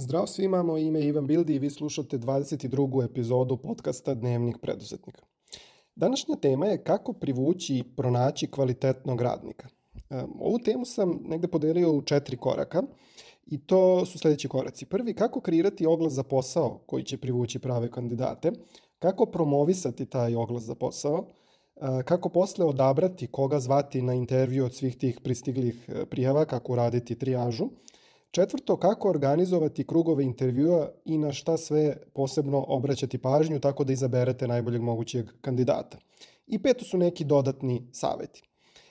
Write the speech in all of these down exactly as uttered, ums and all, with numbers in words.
Zdravo svima, moje ime je Ivan Bildi i vi slušate dvadeset drugu epizodu podcasta Dnevnik preduzetnika. Današnja tema je kako privući i pronaći kvalitetnog radnika. Ovu temu sam negde podelio u četiri koraka i to su sledeći koraci. Prvi, kako kreirati oglas za posao koji će privući prave kandidate, kako promovisati taj oglas za posao, kako posle odabrati koga zvati na intervju od svih tih pristiglih prijava, kako uraditi trijažu. Četvrto, kako organizovati krugove intervjua i na šta sve posebno obraćati pažnju tako da izaberete najboljeg mogućeg kandidata. I peto su neki dodatni saveti.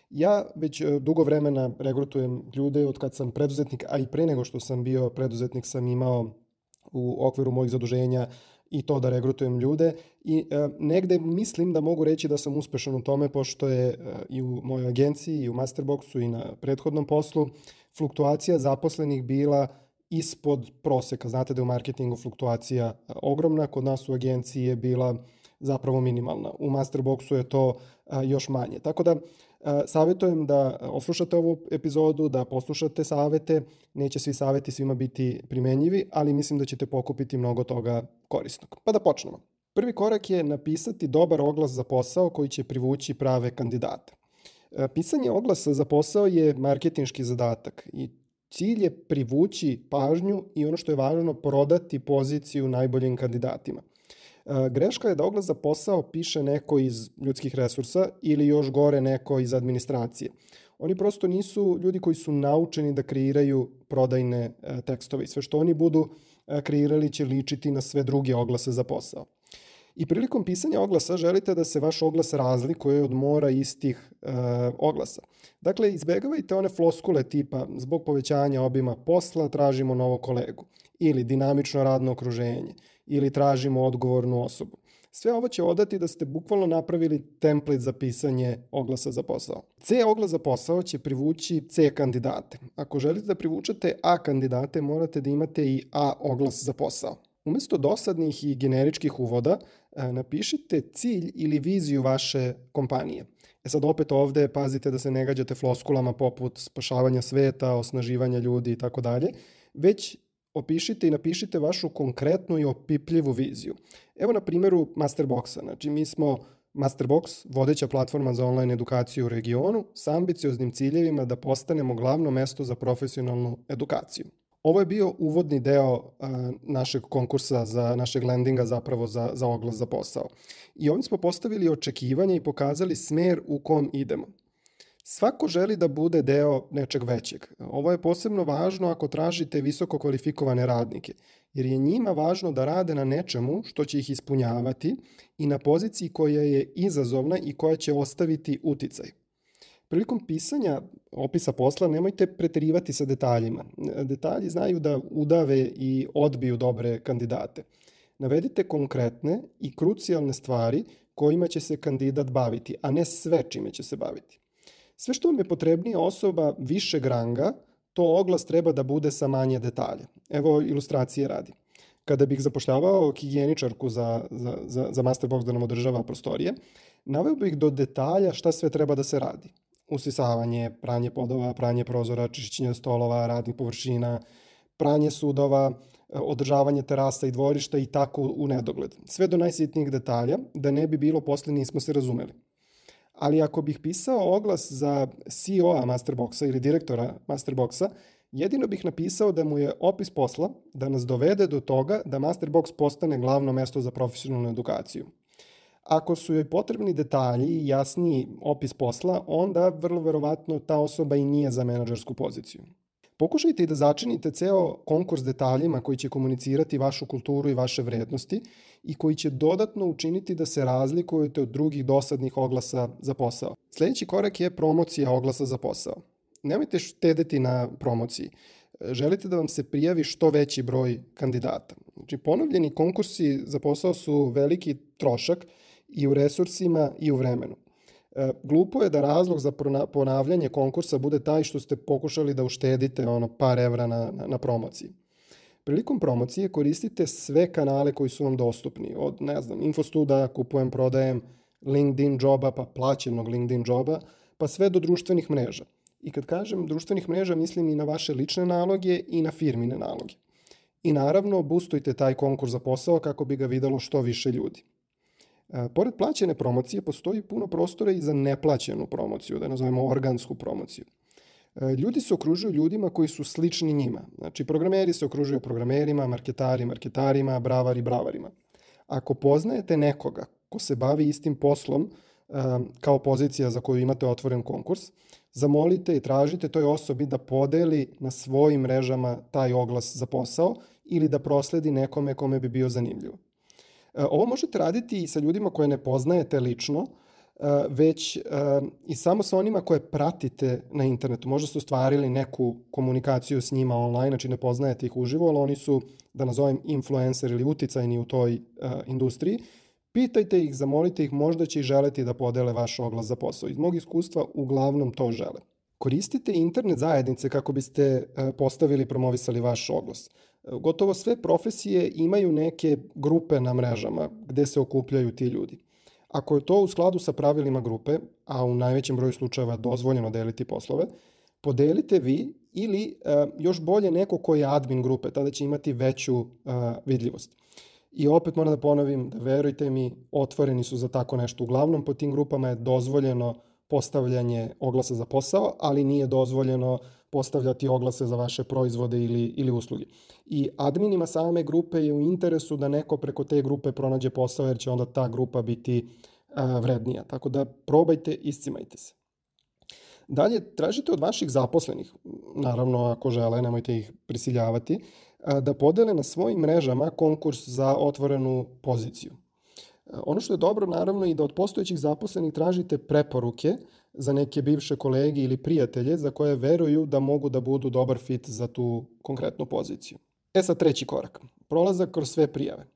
Ja već dugo vremena regrutujem ljude od kad sam preduzetnik, a i pre nego što sam bio preduzetnik sam imao u okviru mojih zaduženja i to da regrutujem ljude i e, negde mislim da mogu reći da sam uspešan u tome pošto je e, i u mojoj agenciji i u Masterboxu i na prethodnom poslu fluktuacija zaposlenih bila ispod proseka. Znate da je u marketingu fluktuacija ogromna, kod nas u agenciji je bila zapravo minimalna. U Masterboxu je to a, još manje. Tako da a, savjetujem da oslušate ovu epizodu, da poslušate savete. Neće svi saveti svima biti primenjivi, ali mislim da ćete pokupiti mnogo toga korisnog. Pa da počnemo. Prvi korak je napisati dobar oglas za posao koji će privući prave kandidate. Pisanje oglasa za posao je marketinški zadatak i cilj je privući pažnju i ono što je važno prodati poziciju najboljim kandidatima. Greška je da oglas za posao piše neko iz ljudskih resursa ili još gore neko iz administracije. Oni prosto nisu ljudi koji su naučeni da kreiraju prodajne tekstove i sve što oni budu kreirali će ličiti na sve druge oglase za posao. I prilikom pisanja oglasa želite da se vaš oglas razlikuje od mora istih e, oglasa. Dakle, izbegavajte one floskule tipa zbog povećanja obima posla tražimo novog kolegu ili dinamično radno okruženje ili tražimo odgovornu osobu. Sve ovo će odati da ste bukvalno napravili template za pisanje oglasa za posao. C oglas za posao će privući C kandidate. Ako želite da privučete A kandidate, morate da imate i A oglas za posao. Umesto dosadnih i generičkih uvoda, napišite cilj ili viziju vaše kompanije. E sad opet ovde pazite da se ne gađate floskulama poput spašavanja sveta, osnaživanja ljudi i tako dalje, već opišite i napišite vašu konkretnu i opipljivu viziju. Evo na primjeru Masterboxa. Znači mi smo Masterbox, vodeća platforma za online edukaciju u regionu, sa ambicioznim ciljevima da postanemo glavno mesto za profesionalnu edukaciju. Ovo je bio uvodni deo a, našeg konkursa, za našeg landinga zapravo za, za oglas za posao. I ovdje smo postavili očekivanja i pokazali smer u kom idemo. Svako želi da bude deo nečeg većeg. Ovo je posebno važno ako tražite visoko kvalifikovane radnike, jer je njima važno da rade na nečemu što će ih ispunjavati i na poziciji koja je izazovna i koja će ostaviti uticaj. Prilikom pisanja opisa posla nemojte preterivati sa detaljima. Detalji znaju da udave i odbiju dobre kandidate. Navedite konkretne i krucijalne stvari kojima će se kandidat baviti, a ne sve čime će se baviti. Sve što vam je potrebnija osoba višeg ranga, to oglas treba da bude sa manje detalja. Evo ilustracije radi. Kada bih zapošljavao higijeničarku za, za, za, za Masterbox da nam održava prostorije, naveo bih do detalja šta sve treba da se radi. Usisavanje, pranje podova, pranje prozora, čišćenje stolova, radnih površina, pranje sudova, održavanje terasa i dvorišta i tako u nedogled. Sve do najsitnijih detalja, da ne bi bilo posle nismo se razumeli. Ali ako bih pisao oglas za C E O-a Masterboxa ili direktora Masterboxa, jedino bih napisao da mu je opis posla da nas dovede do toga da Masterbox postane glavno mesto za profesionalnu edukaciju. Ako su joj potrebni detalji i jasniji opis posla, onda vrlo verovatno ta osoba i nije za menadžersku poziciju. Pokušajte i da začinite ceo konkurs detaljima koji će komunicirati vašu kulturu i vaše vrednosti i koji će dodatno učiniti da se razlikujete od drugih dosadnih oglasa za posao. Sljedeći korak je promocija oglasa za posao. Nemojte štedeti na promociji. Želite da vam se prijavi što veći broj kandidata. Znači, ponovljeni konkursi za posao su veliki trošak i u resursima i u vremenu. E, glupo je da razlog za ponavljanje konkursa bude taj što ste pokušali da uštedite ono par evra na, na, na promociji. Prilikom promocije koristite sve kanale koji su vam dostupni. Od, ne znam, Infostuda, kupujem, prodajem, LinkedIn joba, pa plaćenog LinkedIn joba, pa sve do društvenih mreža. I kad kažem društvenih mreža, mislim i na vaše lične naloge i na firmine naloge. I naravno, boostujte taj konkurs za posao kako bi ga videlo što više ljudi. E, pored plaćene promocije, postoji puno prostora i za neplaćenu promociju, da nazovemo organsku promociju. E, ljudi se okružuju ljudima koji su slični njima. Znači, programeri se okružuju programerima, marketari marketarima, bravari bravarima. Ako poznajete nekoga ko se bavi istim poslom e, kao pozicija za koju imate otvoren konkurs, zamolite i tražite toj osobi da podeli na svojim mrežama taj oglas za posao ili da prosledi nekome kome bi bio zanimljivo. Ovo možete raditi i sa ljudima koje ne poznajete lično, već i samo sa onima koje pratite na internetu. Možda ste ostvarili neku komunikaciju s njima online, znači ne poznajete ih uživo, ali oni su, da nazovem, influencer ili uticajni u toj industriji. Pitajte ih, zamolite ih, možda će i želeti da podele vaš oglas za posao. Iz mog iskustva uglavnom to žele. Koristite internet zajednice kako biste postavili i promovisali vaš oglas. Gotovo sve profesije imaju neke grupe na mrežama gde se okupljaju ti ljudi. Ako je to u skladu sa pravilima grupe, a u najvećem broju slučajeva dozvoljeno deliti poslove, podelite vi ili još bolje neko ko je admin grupe, tada će imati veću vidljivost. I opet moram da ponovim da, verujte mi, otvoreni su za tako nešto. Uglavnom po tim grupama je dozvoljeno postavljanje oglasa za posao, ali nije dozvoljeno postavljati oglase za vaše proizvode ili, ili usluge. I adminima same grupe je u interesu da neko preko te grupe pronađe posao, jer će onda ta grupa biti a, vrednija. Tako da probajte, iscimajte se. Dalje, tražite od vaših zaposlenih, naravno ako žele, nemojte ih prisiljavati, a, da podele na svojim mrežama konkurs za otvorenu poziciju. Ono što je dobro, naravno, i da od postojećih zaposlenih tražite preporuke za neke bivše kolege ili prijatelje za koje veruju da mogu da budu dobar fit za tu konkretnu poziciju. E sad treći korak. Prolazak kroz sve prijave.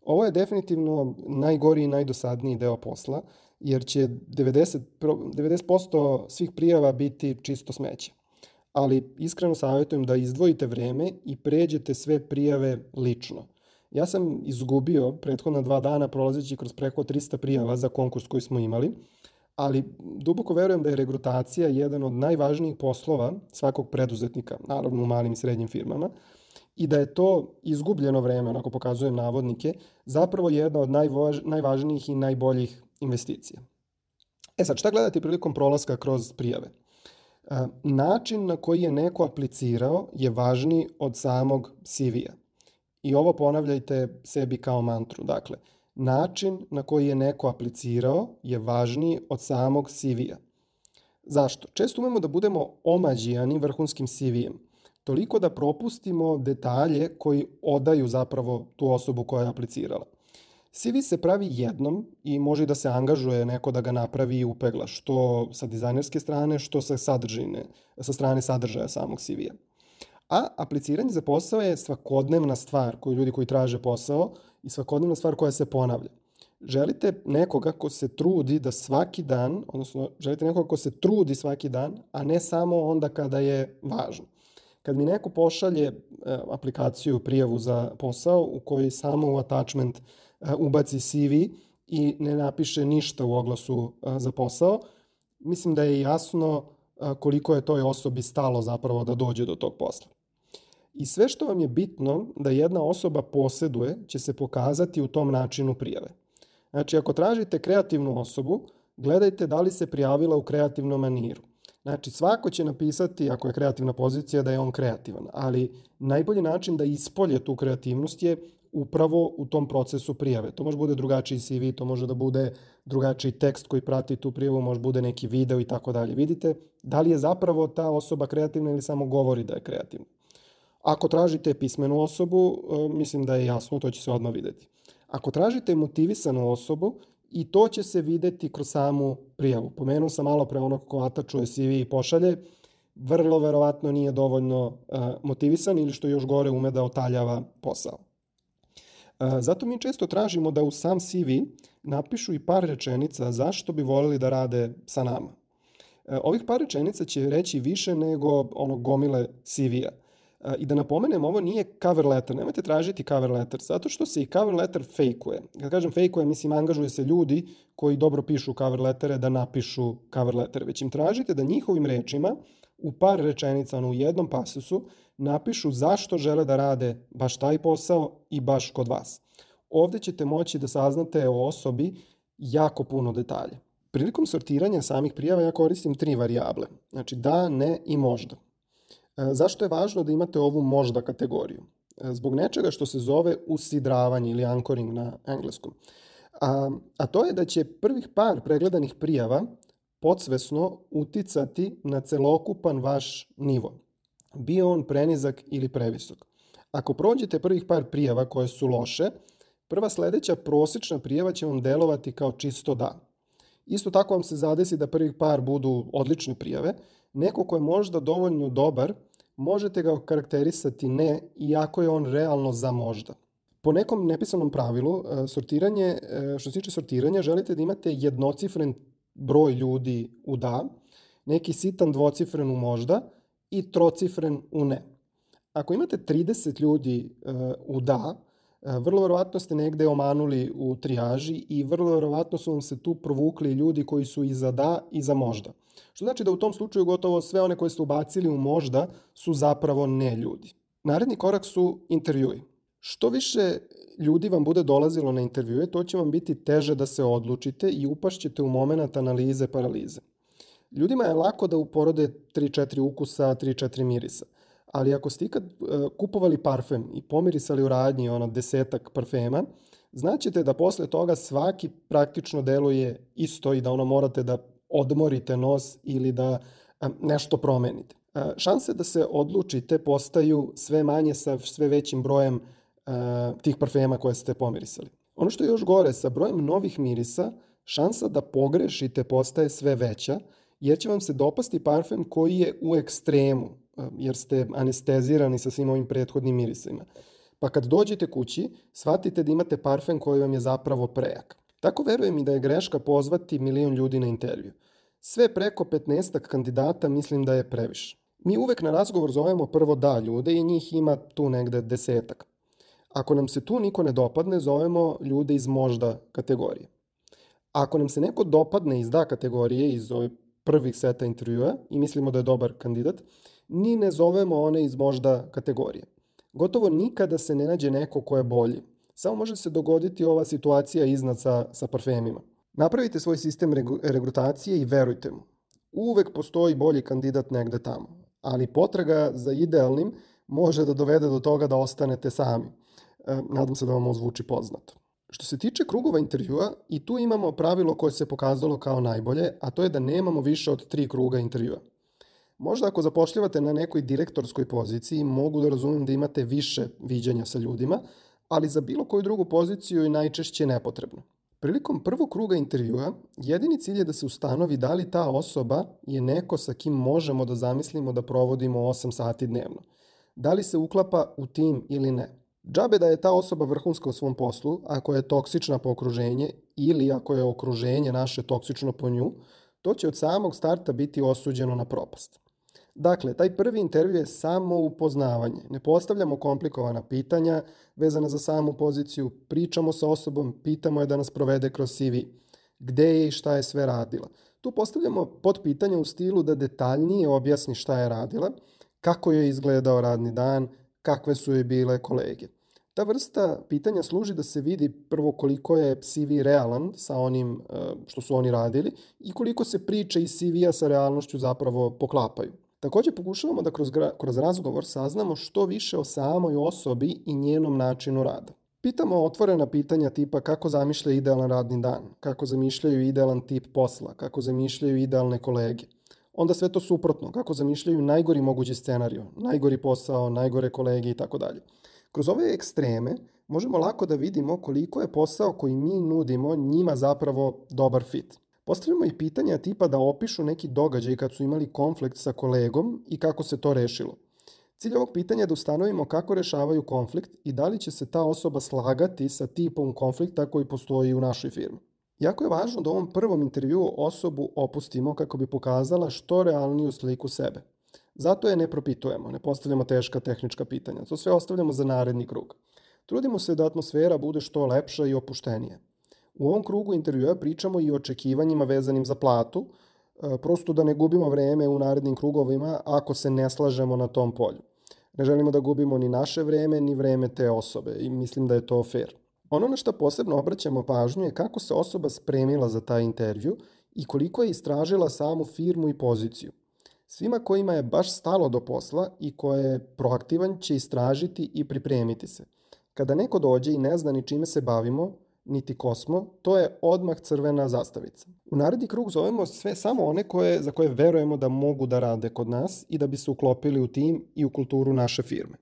Ovo je definitivno najgori i najdosadniji deo posla, jer će devedeset posto svih prijava biti čisto smeće. Ali iskreno savjetujem da izdvojite vreme i pređete sve prijave lično. Ja sam izgubio prethodna dva dana prolazeći kroz preko trista prijava za konkurs koji smo imali, ali duboko verujem da je regrutacija jedan od najvažnijih poslova svakog preduzetnika, naravno u malim i srednjim firmama, i da je to izgubljeno vreme, onako pokazujem navodnike, zapravo jedna od najvaž, najvažnijih i najboljih investicija. E sad, šta gledate prilikom prolaska kroz prijave? E, način na koji je neko aplicirao je važniji od samog C V-a. I ovo ponavljajte sebi kao mantru. Dakle, način na koji je neko aplicirao je važniji od samog C V-a. Zašto? Često umemo da budemo omađijani vrhunskim C V-em. Toliko da propustimo detalje koji odaju zapravo tu osobu koja je aplicirala. C V se pravi jednom i može da se angažuje neko da ga napravi i upegla, što sa dizajnerske strane, što sa sadržine, sa strane sadržaja samog C V-a. A apliciranje za posao je svakodnevna stvar koju ljudi koji traže posao i svakodnevna stvar koja se ponavlja. Želite nekoga ko se trudi da svaki dan, odnosno želite nekoga ko se trudi svaki dan, a ne samo onda kada je važno. Kad mi neko pošalje e, aplikaciju, prijavu za posao u kojoj samo u attachment e, ubaci C V i ne napiše ništa u oglasu e, za posao, mislim da je jasno e, koliko je toj osobi stalo zapravo da dođe do tog posla. I sve što vam je bitno da jedna osoba poseduje će se pokazati u tom načinu prijave. Znači, ako tražite kreativnu osobu, gledajte da li se prijavila u kreativnom maniru. Znači, svako će napisati, ako je kreativna pozicija, da je on kreativan, ali najbolji način da ispolje tu kreativnost je upravo u tom procesu prijave. To može bude drugačiji C V, to može da bude drugačiji tekst koji prati tu prijavu, može bude neki video i tako dalje. Vidite da li je zapravo ta osoba kreativna ili samo govori da je kreativna. Ako tražite pismenu osobu, mislim da je jasno, to će se odmah videti. Ako tražite motivisanu osobu, i to će se videti kroz samu prijavu. Pomenuo sam malo pre onog ko atačuje C V i pošalje, vrlo verovatno nije dovoljno uh, motivisan ili što još gore ume da otaljava posao. Uh, zato mi često tražimo da u sam C V napišu i par rečenica zašto bi voljeli da rade sa nama. Uh, ovih par rečenica će reći više nego onog gomile C V-a. I da napomenem, ovo nije cover letter, nemojte tražiti cover letter, zato što se i cover letter fejkuje. Kad kažem fejkuje, mislim, angažuje se ljudi koji dobro pišu cover lettere da napišu cover letter, već im tražite da njihovim rečima u par rečenica, ono u jednom pasusu, napišu zašto žele da rade baš taj posao i baš kod vas. Ovdje ćete moći da saznate o osobi jako puno detalja. Prilikom sortiranja samih prijava ja koristim tri varijable. Znači da, ne i možda. Zašto je važno da imate ovu možda kategoriju? Zbog nečega što se zove usidravanje ili anchoring na engleskom. A, a to je da će prvih par pregledanih prijava podsvesno uticati na celokupan vaš nivo. Bio on prenizak ili previsok. Ako prođete prvih par prijava koje su loše, prva sljedeća prosječna prijava će vam delovati kao čisto da. Isto tako vam se zadesi da prvih par budu odlične prijave. Neko ko je možda dovoljno dobar, možete ga karakterisati ne, iako je on realno za možda. Po nekom nepisanom pravilu, sortiranje, što se tiče sortiranja, želite da imate jednocifren broj ljudi u da, neki sitan dvocifren u možda i trocifren u ne. Ako imate trideset ljudi u da, vrlo verovatno ste negde omanuli u trijaži i vrlo verovatno su vam se tu provukli ljudi koji su i za da i za možda. Što znači da u tom slučaju gotovo sve one koje ste ubacili u možda su zapravo ne ljudi. Naredni korak su intervjui. Što više ljudi vam bude dolazilo na intervjue, to će vam biti teže da se odlučite i upašćete u moment analize paralize. Ljudima je lako da uporode tri četiri ukusa, tri četiri mirisa. Ali ako ste ikad kupovali parfem i pomirisali u radnji ono desetak parfema, znaćete da posle toga svaki praktično deluje isto i da ono morate da odmorite nos ili da nešto promenite. Šanse da se odlučite postaju sve manje sa sve većim brojem tih parfema koje ste pomirisali. Ono što je još gore, sa brojem novih mirisa, šansa da pogrešite postaje sve veća, jer će vam se dopasti parfem koji je u ekstremu, jer ste anestezirani sa svim ovim prethodnim mirisima. Pa kad dođete kući, shvatite da imate parfem koji vam je zapravo prejak. Tako verujem i da je greška pozvati milion ljudi na intervju. Sve preko petnaestak kandidata mislim da je previše. Mi uvek na razgovor zovemo prvo da ljude i njih ima tu negde desetak. Ako nam se tu niko ne dopadne, zovemo ljude iz možda kategorije. Ako nam se neko dopadne iz da kategorije, iz ove prvih seta intervjua i mislimo da je dobar kandidat, ni ne zovemo one iz možda kategorije. Gotovo nikada se ne nađe neko ko je bolji. Samo može se dogoditi ova situacija iznad sa, sa parfemima. Napravite svoj sistem regrutacije i verujte mu. Uvek postoji bolji kandidat negde tamo, ali potraga za idealnim može da dovede do toga da ostanete sami. E, nadam se da vam ovo zvuči poznato. Što se tiče krugova intervjua, i tu imamo pravilo koje se pokazalo kao najbolje, a to je da nemamo više od tri kruga intervjua. Možda ako zapošljavate na nekoj direktorskoj poziciji, mogu da razumijem da imate više viđanja sa ljudima, ali za bilo koju drugu poziciju je najčešće nepotrebno. Prilikom prvog kruga intervjua, jedini cilj je da se ustanovi da li ta osoba je neko sa kim možemo da zamislimo da provodimo osam sati dnevno. Da li se uklapa u tim ili ne. Džabe da je ta osoba vrhunska u svom poslu, ako je toksična po okruženje ili ako je okruženje naše toksično po nju, to će od samog starta biti osuđeno na propast. Dakle, taj prvi intervju je samo upoznavanje. Ne postavljamo komplikovana pitanja vezana za samu poziciju, pričamo sa osobom, pitamo je da nas provede kroz C V. Gde je i šta je sve radila. Tu postavljamo podpitanja u stilu da detaljnije objasni šta je radila, kako je izgledao radni dan, kakve su joj bile kolege. Ta vrsta pitanja služi da se vidi prvo koliko je C V realan sa onim što su oni radili i koliko se priče iz C V-a sa realnošću zapravo poklapaju. Također pokušavamo da kroz, kroz razgovor saznamo što više o samoj osobi i njenom načinu rada. Pitamo otvorena pitanja tipa kako zamišlja idealan radni dan, kako zamišljaju idealan tip posla, kako zamišljaju idealne kolege. Onda sve to suprotno, kako zamišljaju najgori mogući scenariju, najgori posao, najgore kolege i tako dalje. Kroz ove ekstreme možemo lako da vidimo koliko je posao koji mi nudimo njima zapravo dobar fit. Postavljamo i pitanja tipa da opišu neki događaj kad su imali konflikt sa kolegom i kako se to rešilo. Cilj ovog pitanja je da ustanovimo kako rešavaju konflikt i da li će se ta osoba slagati sa tipom konflikta koji postoji u našoj firmi. Jako je važno da u ovom prvom intervjuu osobu opustimo kako bi pokazala što realniju sliku sebe. Zato je ne propitujemo, ne postavljamo teška tehnička pitanja. To sve ostavljamo za naredni krug. Trudimo se da atmosfera bude što lepša i opuštenija. U ovom krugu intervjua pričamo i o očekivanjima vezanim za platu, prosto da ne gubimo vreme u narednim krugovima ako se ne slažemo na tom polju. Ne želimo da gubimo ni naše vreme, ni vreme te osobe i mislim da je to fair. Ono na što posebno obraćamo pažnju je kako se osoba spremila za taj intervju i koliko je istražila samu firmu i poziciju. Svima kojima je baš stalo do posla i ko je proaktivan će istražiti i pripremiti se. Kada neko dođe i ne zna ni čime se bavimo, niti ko smo, to je odmah crvena zastavica. U naredni krug zovemo sve samo one koje, za koje verujemo da mogu da rade kod nas i da bi se uklopili u tim i u kulturu naše firme.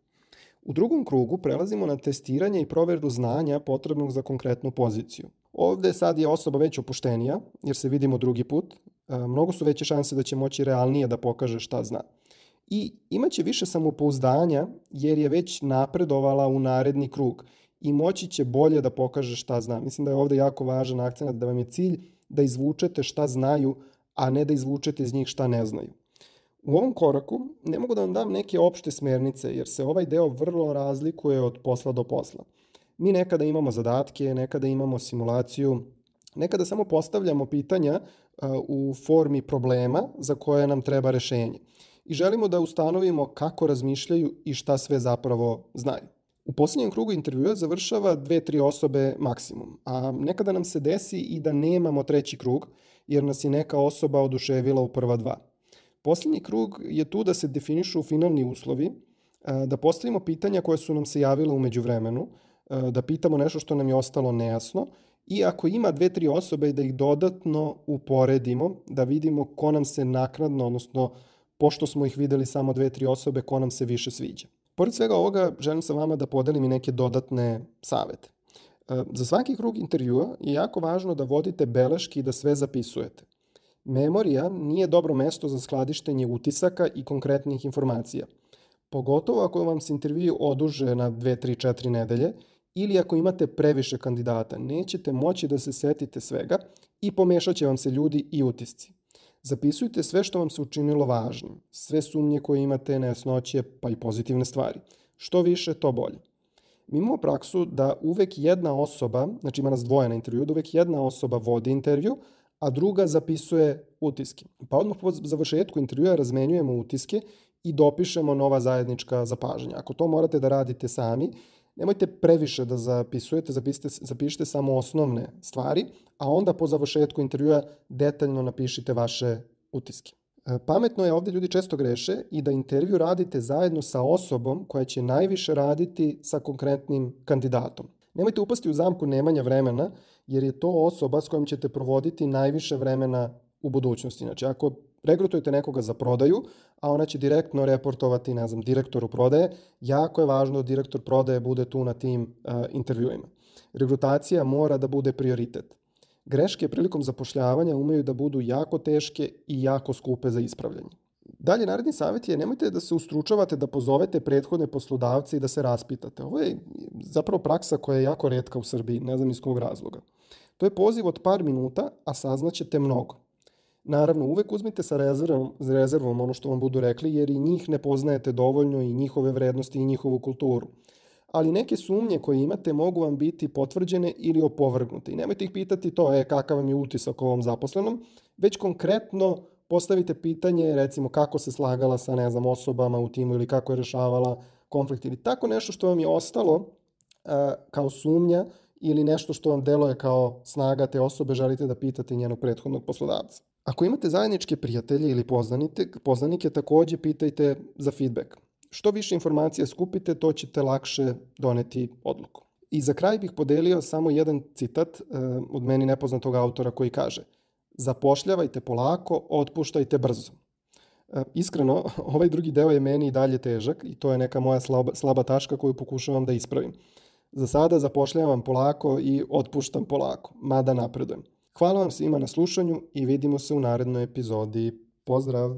U drugom krugu prelazimo na testiranje i proveru znanja potrebnog za konkretnu poziciju. Ovde sad je osoba već opuštenija, jer se vidimo drugi put. Mnogo su veće šanse da će moći realnije da pokaže šta zna. I imaće više samopouzdanja jer je već napredovala u naredni krug i moći će bolje da pokaže šta zna. Mislim da je ovde jako važan akcent da vam je cilj da izvučete šta znaju, a ne da izvučete iz njih šta ne znaju. U ovom koraku ne mogu da vam dam neke opšte smernice jer se ovaj deo vrlo razlikuje od posla do posla. Mi nekada imamo zadatke, nekada imamo simulaciju, nekada samo postavljamo pitanja u formi problema za koje nam treba rešenje. I želimo da ustanovimo kako razmišljaju i šta sve zapravo znaju. U posljednjem krugu intervjua završava dve, tri osobe maksimum, a nekada nam se desi i da nemamo treći krug jer nas je neka osoba oduševila u prva dva. Posljednji krug je tu da se definišu finalni uslovi, da postavimo pitanja koje su nam se javile u međuvremenu, da pitamo nešto što nam je ostalo nejasno i ako ima dve, tri osobe da ih dodatno uporedimo, da vidimo ko nam se naknadno, odnosno pošto smo ih videli samo dve, tri osobe, ko nam se više sviđa. Pored svega ovoga, želim sa vama da podelim i neke dodatne savete. Za svaki krug intervjua je jako važno da vodite beleške i da sve zapisujete. Memorija nije dobro mesto za skladištenje utisaka i konkretnih informacija. Pogotovo ako vam se intervju oduže na dve, tri, četiri nedelje ili ako imate previše kandidata, nećete moći da se setite svega i pomešat će vam se ljudi i utisci. Zapisujte sve što vam se učinilo važnim, sve sumnje koje imate, nejasnoće, pa i pozitivne stvari. Što više, to bolje. Mi imamo praksu da uvek jedna osoba, znači ima nas dvoje na intervju, da uvek jedna osoba vodi intervju, a druga zapisuje utiske. Pa odmah po završetku intervjua razmenjujemo utiske i dopišemo nova zajednička zapažanja. Ako to morate da radite sami, nemojte previše da zapisujete, zapišite, zapišite samo osnovne stvari, a onda po završetku intervjua detaljno napišite vaše utiske. Pametno je, ovdje ljudi često greše, i da intervju radite zajedno sa osobom koja će najviše raditi sa konkretnim kandidatom. Nemojte upasti u zamku nemanja vremena, jer je to osoba s kojom ćete provoditi najviše vremena u budućnosti. Znači, ako regrutujete nekoga za prodaju, a ona će direktno reportovati, ne znam, direktoru prodaje, jako je važno da direktor prodaje bude tu na tim uh, intervjuima. Regrutacija mora da bude prioritet. Greške prilikom zapošljavanja umeju da budu jako teške i jako skupe za ispravljanje. Dalje, naredni savjet je nemojte da se ustručavate da pozovete prethodne poslodavce i da se raspitate. Ovo je zapravo praksa koja je jako retka u Srbiji, ne znam iz kog razloga. To je poziv od par minuta, a saznaćete mnogo. Naravno, uvek uzmite sa rezervom, rezervom ono što vam budu rekli, jer i njih ne poznajete dovoljno i njihove vrednosti i njihovu kulturu. Ali neke sumnje koje imate mogu vam biti potvrđene ili opovrgnute. I nemojte ih pitati to, e, kakav vam je utisak o ovom zaposlenom, već konkretno postavite pitanje, recimo, kako se slagala sa, ne znam, osobama u timu ili kako je rešavala konflikt ili tako nešto što vam je ostalo uh, kao sumnja ili nešto što vam deluje kao snaga te osobe, želite da pitate njenog prethodnog poslodavca. Ako imate zajedničke prijatelje ili poznanike, poznanike, takođe pitajte za feedback. Što više informacija skupite, to ćete lakše doneti odluku. I za kraj bih podelio samo jedan citat uh, od meni nepoznatog autora koji kaže: zapošljavajte polako, otpuštajte brzo. Uh, iskreno, ovaj drugi deo je meni i dalje težak i to je neka moja slaba, slaba tačka koju pokušavam da ispravim. Za sada zapošljavam polako i otpuštam polako, mada napredujem. Hvala vam svima na slušanju i vidimo se u narednoj epizodi. Pozdrav!